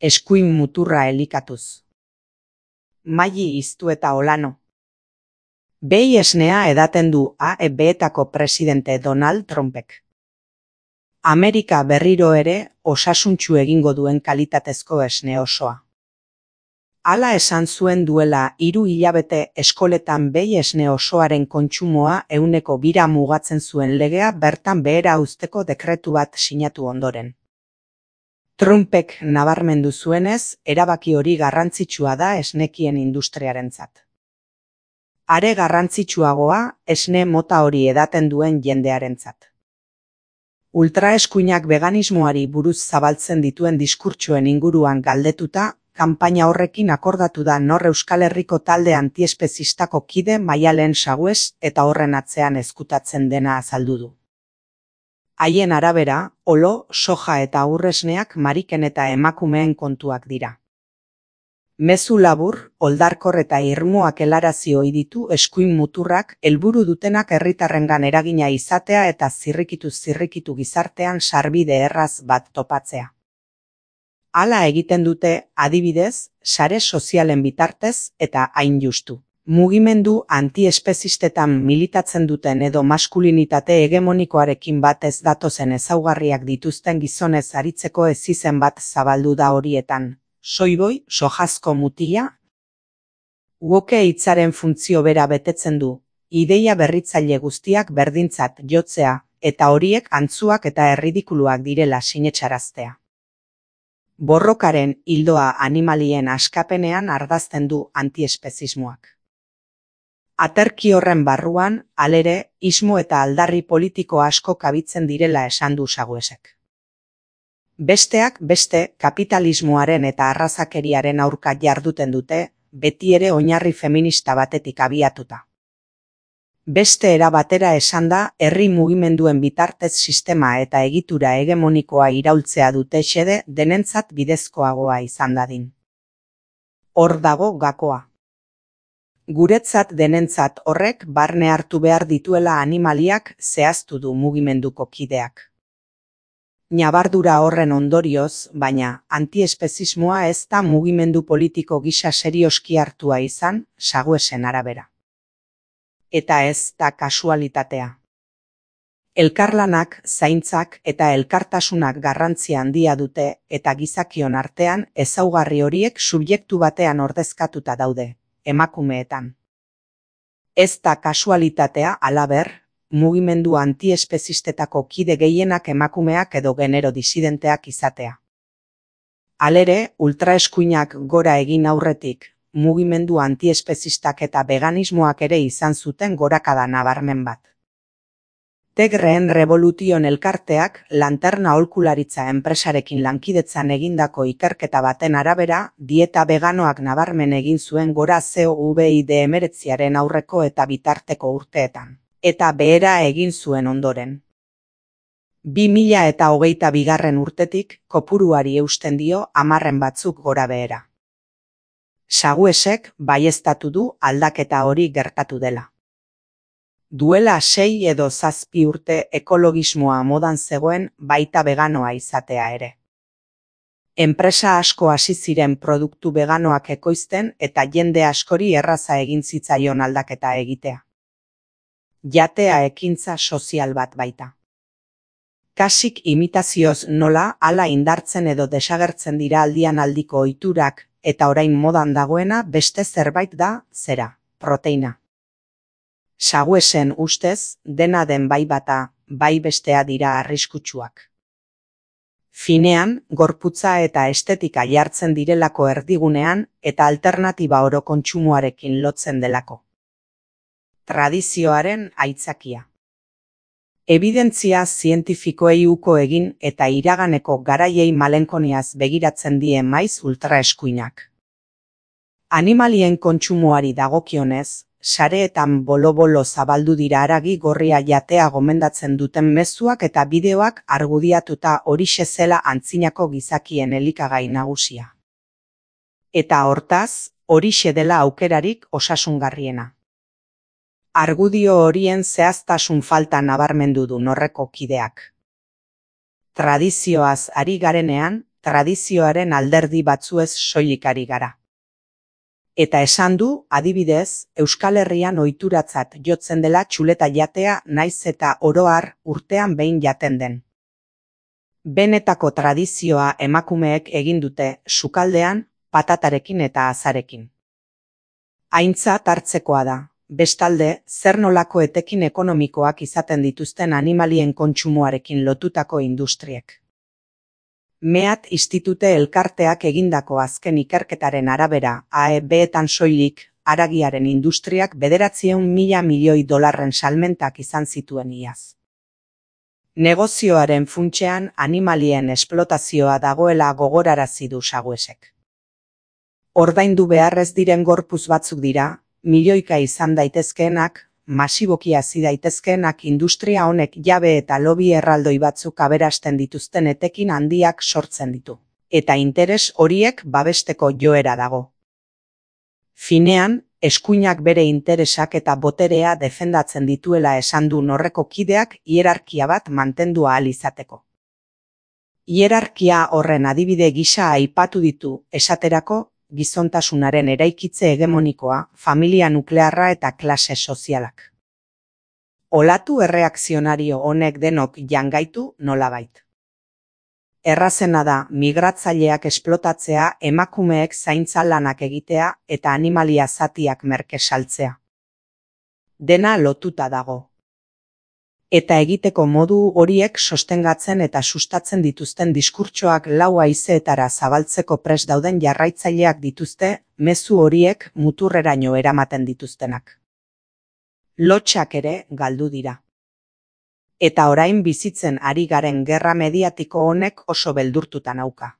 eskuin muturra elikatuz. Maili iztu eta olano. Behi esnea edaten du AEB-etako presidente Donald Trumpek. Amerika berriro ere osasuntsu egingo duen kalitatezko esne osoa. Hala esan zuen duela 3 hilabete eskoletan behi esne osoaren kontsumoa 2% mugatzen zuen legea bertan behera uzteko dekretu bat sinatu ondoren. Trumpek nabarmendu zuenez, erabaki hori garrantzitsua da esnekien industriarentzat. Are garrantzitsuagoa esne mota hori edaten duen jendearentzat. Ultraeskuinak veganismoari buruz zabaltzen dituen diskurtsoen inguruan galdetuta, kanpaina horrekin akordatu da nor Euskal Herriko talde antiespezistako kide Maialen Sagues eta horren atzean ezkutatzen dena azaldu du. Haien arabera, olo, soja eta urresneak mariken eta emakumeen kontuak dira. Mezu labur, oldarkor eta irmoak helarazi ohi ditu eskuin muturrak helburu dutenak herritarrengan eragina izatea eta zirrikitu gizartean sarbide erraz bat topatzea. Hala egiten dute, adibidez, sare sozialen bitartez eta hain justu. Mugimendu antiespezistetan militatzen duten edo maskulinitate hegemonikoarekin bat ez datozen ezaugarriak dituzten gizonez aritzeko ezizen bat zabaldu da horietan. Soiboi, sojazko mutila? Woke hitzaren funtzio bera betetzen du, ideia berritzaile guztiak berdintzat jotzea, eta horiek antzuak eta erridikuluak direla sinetsaraztea. Borrokaren ildoa animalien askapenean ardazten du antiespezismoak. Aterki horren barruan, halere, ismo eta aldarri politiko asko kabitzen direla esan du Saguesek. Besteak beste, kapitalismoaren eta arrazakeriaren aurka jarduten dute, beti ere oinarri feminista batetik abiatuta. Beste era batera esanda, herri mugimenduen bitartez sistema eta egitura hegemonikoa iraultzea dute xede denentzat bidezkoagoa izan dadin. Hor dago gakoa. Guretzat denentzat horrek barne hartu behar dituela animaliak zehaztu du mugimenduko kideak. Ñabardura horren ondorioz, baina, antiespezismoa ez da mugimendu politiko gisa serioski hartua izan, Saguesen arabera. Eta ez da kasualitatea. Elkarlanak, zaintzak eta elkartasunak garrantzia handia dute eta gizakion artean ezaugarri horiek subjektu batean ordezkatuta daude, emakumeetan. Ez da kasualitatea halaber, mugimendu antiespezistetako kide gehienak emakumeak edo genero disidenteak izatea. Halere, ultraeskuinak gora egin aurretik, mugimendu antiespezistak eta veganismoak ere izan zuten gorakada nabarmen bat. Tegreen Revolution elkarteak lanterna aholkularitza enpresarekin lankidetzan egindako ikerketa baten arabera, dieta veganoak nabarmen egin zuen gora COVID-19 aurreko eta bitarteko urteetan. Eta behera egin zuen ondoren. 2022 urtetik kopuruari eusten dio 10 batzuk gora behera. Saguesek baieztatu du aldaketa hori gertatu dela. Duela 6 edo 7 urte ekologismoa modan zegoen baita veganoa izatea ere. Enpresa asko hasi ziren produktu veganoak ekoizten eta jende askori erraza egin zitzaion aldaketa egitea. Jatea ekintza sozial bat baita. Kasik imitazioz nola hala indartzen edo desagertzen dira aldian aldiko ohiturak eta orain modan dagoena beste zerbait da, zera, proteina. Saguesen ustez, dena den bai bata, bai bestea dira arriskutsuak. Finean, gorputza eta estetika jartzen direlako erdigunean eta alternatiba oro kontsumoarekin lotzen delako. Tradizioaren aitzakia. Ebidentzia zientifikoei uko egin eta iraganeko garaiei malenkoniaz begiratzen die maiz ultraeskuinak. Animalien kontsumoari dagokionez, sareetan bolo-bolo zabaldu dira haragi gorria jatea gomendatzen duten mezuak eta bideoak argudiatuta horixe zela antzinako gizakien elikagai nagusia. Eta hortaz, horixe dela aukerarik osasungarriena. Argudio horien zehaztasun falta nabarmendu du norreko kideak. Tradizioaz ari garenean, tradizioaren alderdi batzuez soilik ari gara. Eta esan du, adibidez, Euskal Herrian ohituratzat jotzen dela txuleta jatea naiz eta oro har urtean behin jaten den. Benetako tradizioa emakumeek egin dute sukaldean, patatarekin eta azarekin. Aintzat hartzekoa da, bestalde, zer nolako etekin ekonomikoak izaten dituzten animalien kontsumoarekin lotutako industriek. Meat Institute elkarteak egindako azken ikerketaren arabera, AEB-etan soilik, haragiaren industriak 900.000 milioi dolarren salmentak izan zituen iaz. Negozioaren funtsean animalien esplotazioa dagoela gogorarazi du Saguesek. Ordaindu beharrez diren gorputz batzuk dira, milioika izan daitezkeenak, masiboki hazi daitezkeenak industria honek jabe eta lobby erraldoi batzuk aberasten dituzten etekin handiak sortzen ditu. Eta interes horiek babesteko joera dago. Finean, eskuinak bere interesak eta boterea defendatzen dituela esan du Norreko kideak hierarkia bat mantendu ahal izateko. Hierarkia horren adibide gisa aipatu ditu, esaterako, gizontasunaren eraikitze hegemonikoa, familia nuklearra eta klase sozialak. Olatu erreakzionario honek denok jangaitu nolabait. Errazena da migratzaileak esplotatzea, emakumeek zaintza lanak egitea eta animalia zatiak merke saltzea. Dena lotuta dago. Eta egiteko modu horiek sostengatzen eta sustatzen dituzten diskurtsoak lau haizeetara zabaltzeko prest dauden jarraitzaileak dituzte, mezu horiek muturreraino eramaten dituztenak. Lotsak ere galdu dira. Eta orain bizitzen ari garen gerra mediatiko honek oso beldurtuta nauka.